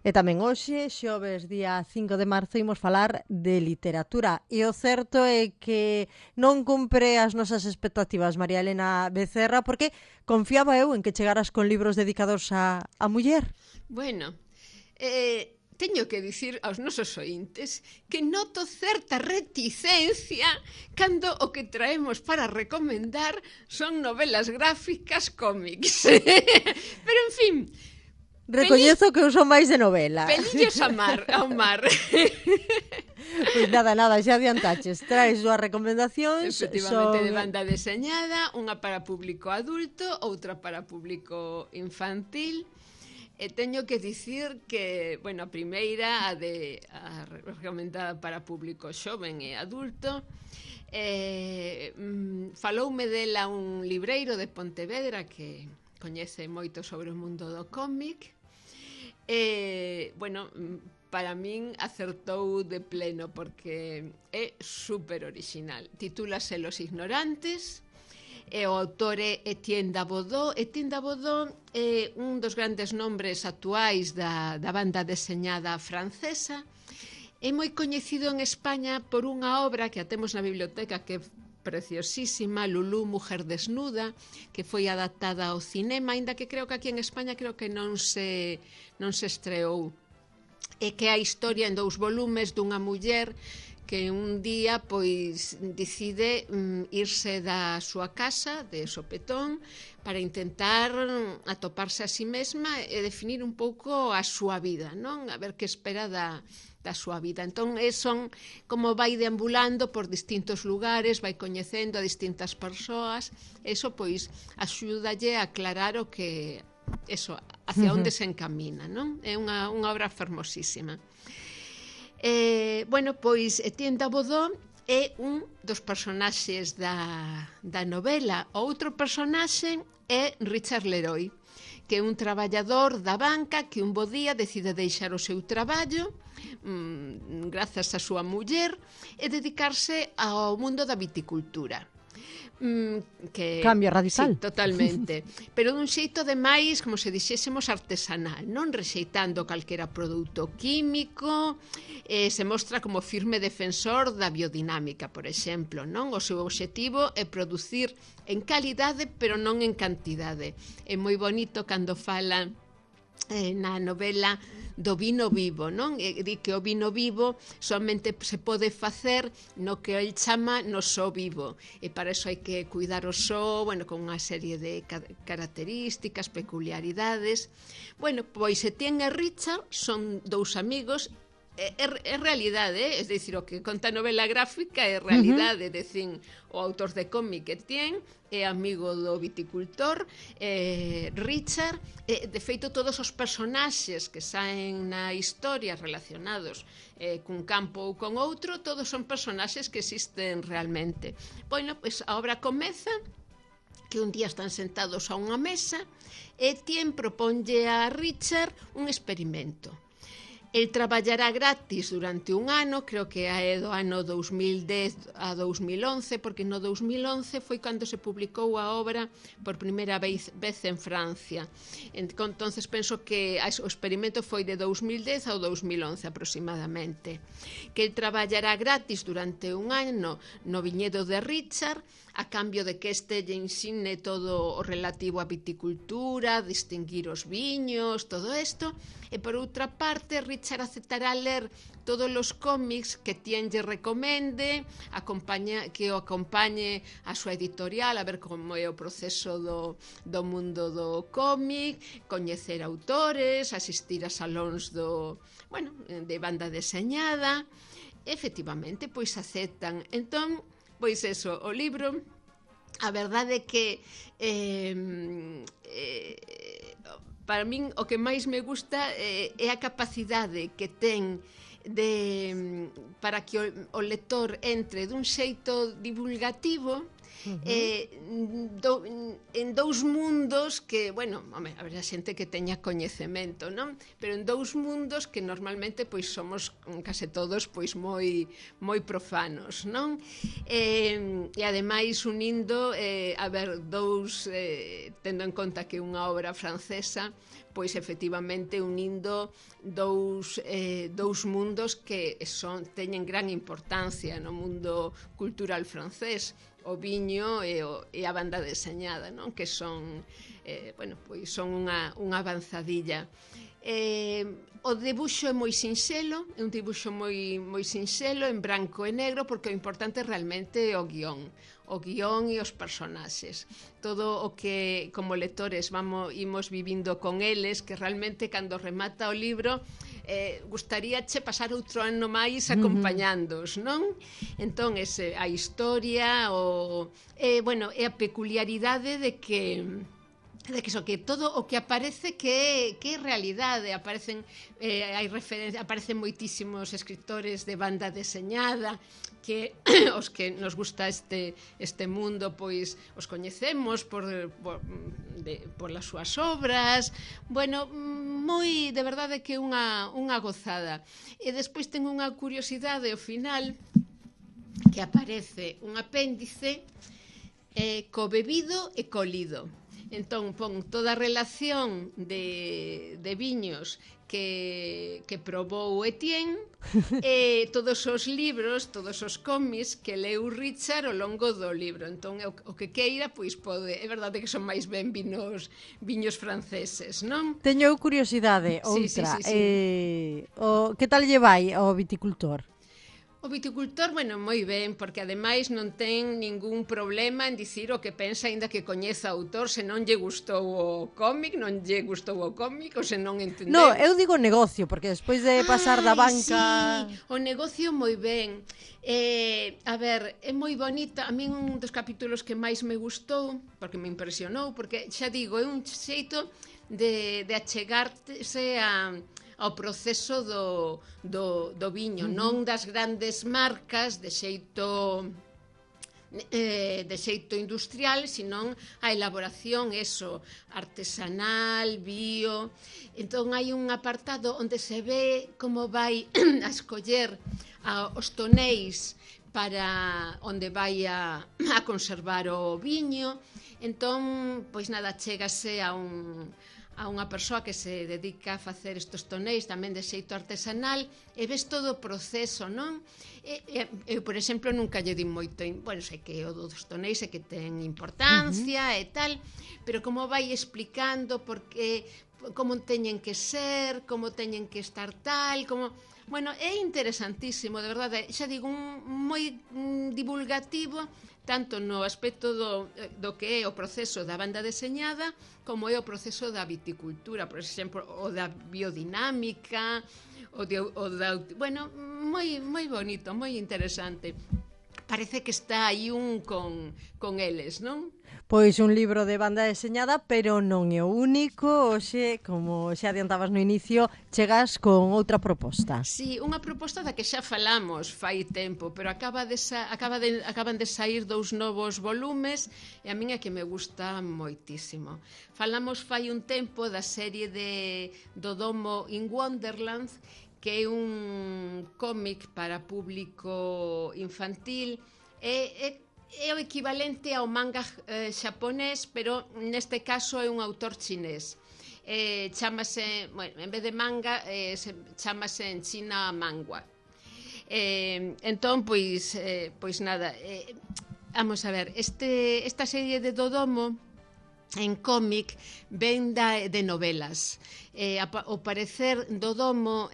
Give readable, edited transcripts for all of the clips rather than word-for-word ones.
E tamén hoxe, xoves día 5 de marzo, imos falar de literatura. E o certo é que non cumpre as nosas expectativas, María Elena Becerra, porque confiaba eu en que chegaras con libros dedicados a muller. Bueno, teño que dicir aos nosos ointes que noto certa reticencia cando o que traemos para recomendar son novelas gráficas, cómics. Pero, en fin... Recoñezo que eu son máis de novela. Pelillos ao mar. Pois nada, xa adiantaches. Traes dúas recomendacións. Efectivamente, de banda deseñada, unha para público adulto, outra para público infantil. E teño que dicir que, bueno, a primeira, a recomendada para público xoven e adulto, faloume dela un libreiro de Pontevedra que coñece moito sobre o mundo do cómic. Bueno, para min acertou de pleno porque é super original. Titúlase Los Ignorantes e o autor é Etienne Dabodeau. Etienne Dabodeau é un dos grandes nombres actuais da banda deseñada francesa. É moi coñecido en España por unha obra que a temos na biblioteca que é preciosísima, Lulú, Mujer Desnuda, que foi adaptada ao cinema, aínda que creo que aquí en España non se estreou. E que é a historia en 2 volumes dunha muller que un día pois decide irse da súa casa de sopetón para intentar atoparse a si mesma e definir un pouco a súa vida, non? A ver que espera da súa vida. Entón, son como vai deambulando por distintos lugares, vai coñecendo a distintas persoas, eso pois axúdalle a aclarar o que hacia onde se encamina, non? É unha obra fermosísima. Bueno, pois Etienne Dabodeau é un dos personaxes da novela. O outro personaxe é Richard Leroy, que é un traballador da banca que un bo día decide deixar o seu traballo grazas á súa muller e dedicarse ao mundo da viticultura. Cambio radical. Sí, totalmente. Pero dun xeito de máis, como se dixésemos, artesanal, non rexeitando calquera produto químico, se mostra como firme defensor da biodinámica, por exemplo, non? O seu obxectivo é producir en calidade, pero non en cantidade. É moi bonito cando fala na novela do vino vivo, non? Di que o vino vivo somente se pode facer no que el chama no só vivo, e para iso hai que cuidar o só, bueno, con unha serie de características, peculiaridades. Bueno, pois Etienne e Richard son 2 amigos. É realidade, é dicir, o que conta a novela gráfica é realidade, decín, o autor de cómic Etienne é amigo do viticultor Richard, de feito todos os personaxes que saen na historia relacionados cun campo ou con outro, todos son personaxes que existen realmente. Bueno, pois a obra comeza que un día están sentados a unha mesa e Etienne proponlle a Richard un experimento. El traballará gratis durante un ano, creo que é do ano 2010 a 2011, porque no 2011 foi cando se publicou a obra por primeira vez en Francia. Entonces penso que o experimento foi de 2010 ao 2011 aproximadamente. Que el traballará gratis durante un ano no viñedo de Richard, a cambio de que este lle ensine todo o relativo á viticultura, distinguir os viños, todo isto, e por outra parte Richard aceptará ler todos os cómics que Etienne lle recomende, que o acompañe a súa editorial, a ver como é o proceso do mundo do cómic, coñecer autores, asistir a salóns de banda deseñada. Efectivamente, pois aceptan. Entón, pois eso, o libro, a verdade é que para min o que máis me gusta é a capacidade que ten para que o lector entre dun xeito divulgativo En dous mundos que, bueno, home, haberá xente que teña coñecemento, non? Pero en dous mundos que normalmente pois somos case todos pois moi profanos, non? E ademais unindo, a ver, tendo en conta que unha obra francesa, pois efectivamente unindo dous mundos que teñen gran importancia no mundo cultural francés, o viño e a banda deseñada, non? Que son, pois son unha avanzadilla. O debuxo é moi sinxelo, é un dibuxo moi sinxelo, en branco e negro, porque o importante realmente é o guión e os personaxes. Todo o que como lectores imos vivindo con eles, que realmente cando remata o libro gustaríache pasar outro ano máis acompañándoos, non? Entón, a historia e a peculiaridade de que todo o que aparece que é realidade. Aparecen moitísimos escritores de banda deseñada que os que nos gusta este mundo pois os coñecemos por as súas obras. Bueno, de verdade que é unha gozada. E despois ten unha curiosidade ao final, que aparece un apéndice co bebido e co lido. Entón, pon toda a relación de viños que probou Etienne e todos os libros, todos os cómics que leu Richard ao longo do libro. Entón, o que queira, pois pode. É verdade que son máis ben viños franceses, non? Teño curiosidade, outra. Sí. Que tal lle vai ao viticultor? O viticultor, bueno, moi ben, porque ademais non ten ningún problema en dicir o que pensa, aínda que coñeza o autor, se non lle gustou o cómic, non lle gustou o cómic, ou se non entendeu. No, eu digo negocio, porque despois de pasar da banca... Sí, o negocio moi ben. A ver, é moi bonita. A min un dos capítulos que máis me gustou, porque me impresionou, porque xa digo, é un xeito de achegarse ao proceso do viño, non das grandes marcas de xeito industrial, senón a elaboración artesanal, bio. Entón hai un apartado onde se ve como vai a escoller os tonéis para onde vai a conservar o viño. Entón, pois nada, chégase a unha persoa que se dedica a facer estes tonéis tamén de xeito artesanal e ves todo o proceso, non? Eu, por exemplo, nunca lle di moito, bueno, sei que o dos tonéis é que ten importancia e tal, pero como vai explicando como teñen que ser, como teñen que estar tal, como... Bueno, é interesantísimo, de verdade, xa digo, moi divulgativo, tanto no aspecto do que é o proceso da banda deseñada como é o proceso da viticultura, por exemplo, o da biodinámica, bueno, moi bonito, moi interesante. Parece que está aí con eles, non? Pois un libro de banda deseñada, pero non é o único. Hoxe, como xa adiantabas no inicio, chegas con outra proposta. Sí, unha proposta da que xa falamos fai tempo, pero acaban de sair 2 novos volumes e a min é que me gusta moitísimo. Falamos fai un tempo da serie de Dodoma in Wonderland, que é un cómic para público infantil. É o equivalente ao manga xaponés, pero neste caso é un autor chinés. Chámase, bueno, en vez de manga, chámase en China mangua. Entón, pois nada, vamos a ver, esta serie de Dodomo en cómic ven de novelas. Ao parecer, Dodomo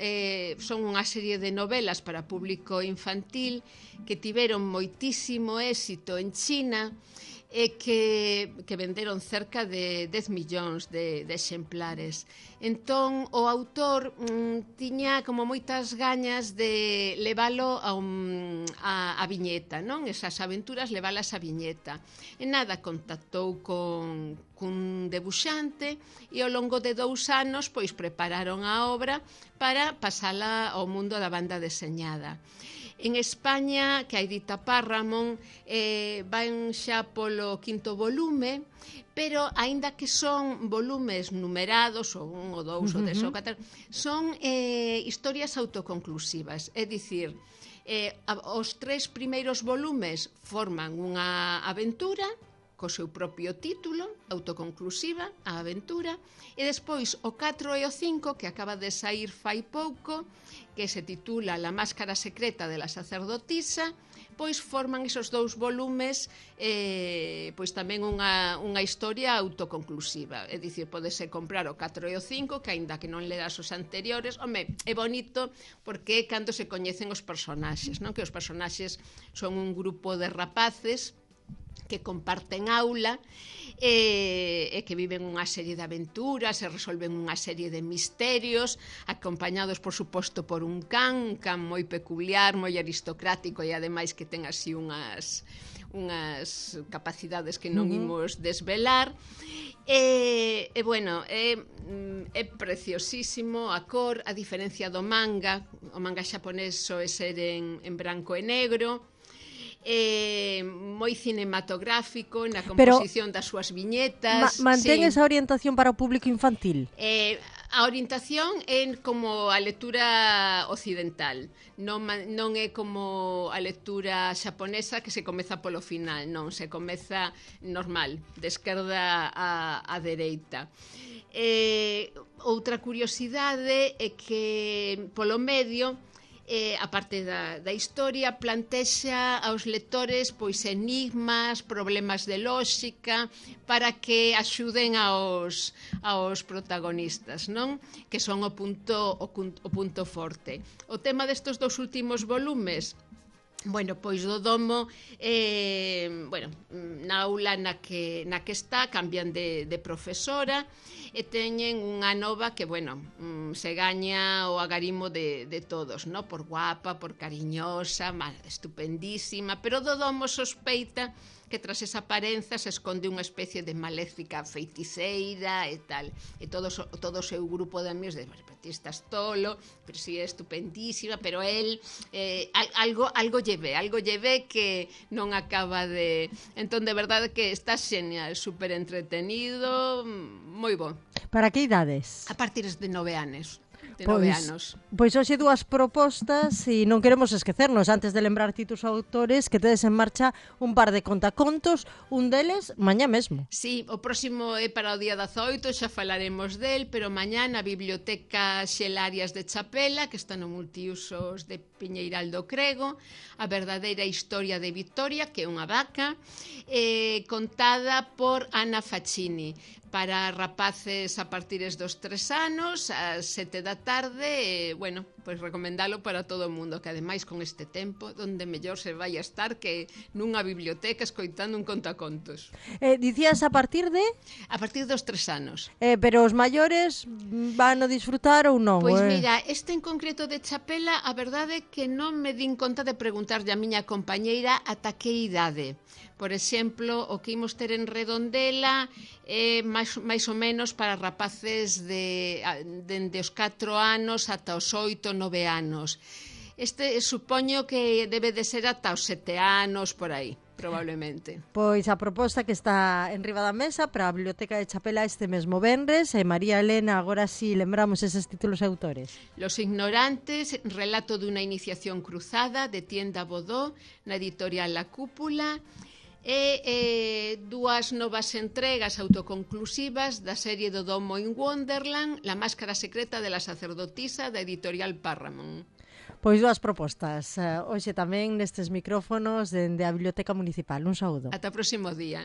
son unha serie de novelas para público infantil que tiveron moitísimo éxito en China e que venderon cerca de 10 millóns de exemplares. Entón, o autor tiña como moitas gañas de levalo a viñeta, non? Esas aventuras levalas a viñeta. E nada, contactou cun debuxante e ao longo de 2 anos pois prepararon a obra para pasala ao mundo da banda deseñada. En España, que a edita Parramon, van xa polo 5º volume, pero aínda que son volumes numerados, ou 1 ou 2 ou 3 ou 4, son historias autoconclusivas, é dicir, os 3 primeiros volumes forman unha aventura co seu propio título, autoconclusiva, a aventura, e despois o 4 e o 5, que acaba de sair fai pouco, que se titula La máscara secreta de la sacerdotisa, pois forman esos 2 volumes pois tamén unha historia autoconclusiva, é dicir, podese comprar o 4 e o 5, que aínda que non leas os anteriores, home, é bonito porque é cando se coñecen os personaxes, non? Que os personaxes son un grupo de rapaces que comparten aula e que viven unha serie de aventuras e resolven unha serie de misterios, acompañados, por suposto, por un can moi peculiar, moi aristocrático e ademais que ten así unhas capacidades que non imos desvelar. E bueno, é preciosísimo a cor, a diferencia do manga. O manga xaponés soe ser en branco e negro, moi cinematográfico na composición das súas viñetas. Mantén esa orientación para o público infantil? A orientación é como a lectura occidental, non é como a lectura xaponesa que se comeza polo final, non, se comeza normal, de esquerda a dereita. Outra curiosidade é que polo medio, a parte da historia, plantexa aos lectores pois enigmas, problemas de lóxica, para que axuden aos protagonistas, non? Que son o punto forte. O tema destes 2 últimos volumes, bueno, pois do domo, na aula na que está, cambian de profesora e teñen unha nova que, bueno, se gaña o agarimo de todos, no? Por guapa, por cariñosa, estupendísima, pero do domo sospeita que tras esa aparenza se esconde unha especie de maléfica feiticeira e tal. E todo o seu grupo de amigos de ti estás tolo, pero si é estupendísima, pero el algo lle ve que non acaba de... Entón, de verdade que está xenial, super entretenido, moi bo. Para que idades? A partir de 9 anos. De 9 anos. Pois hoxe 2 propostas e non queremos esquecernos, antes de lembrar títulos autores, que tedes en marcha un par de contacontos, un deles mañá mesmo. Sí, o próximo é para o día 18, xa falaremos del, pero mañá na Biblioteca Xelarias de Chapela, que está no multiusos de Piñeiral do Crego, a verdadeira historia de Victoria, que é unha vaca, contada por Ana Faccini, para rapaces a partires dos 3 anos, ás 7 da tarde, bueno, pois recomendalo para todo o mundo, que ademais con este tempo, onde mellor se vai a estar que nunha biblioteca escoitando un contacontos. Dicías a partir de? A partir dos 3 anos. Pero os maiores van a disfrutar ou non? Pois mira, este en concreto de Chapela, a verdade é que non me din conta de preguntarlle a miña compañeira ata que idade. Por exemplo, o que imos ter en Redondela é máis ou menos para rapaces dende os 4 anos ata os 8, 9 anos. Este supoño que debe de ser ata os 7 anos, por aí, probablemente. Pois a proposta que está en riba da mesa para a Biblioteca de Chapela este mesmo venres, e María Elena, agora sí lembramos eses títulos e autores. Los ignorantes, relato dunha iniciación cruzada, de Tienda Bodó, na editorial La Cúpula, e 2 novas entregas autoconclusivas da serie do Domo in Wonderland, La máscara secreta de la sacerdotisa, da editorial Parramon. Pois 2 propostas, hoxe tamén nestes micrófonos dende a Biblioteca Municipal. Un saúdo. Ata o próximo día.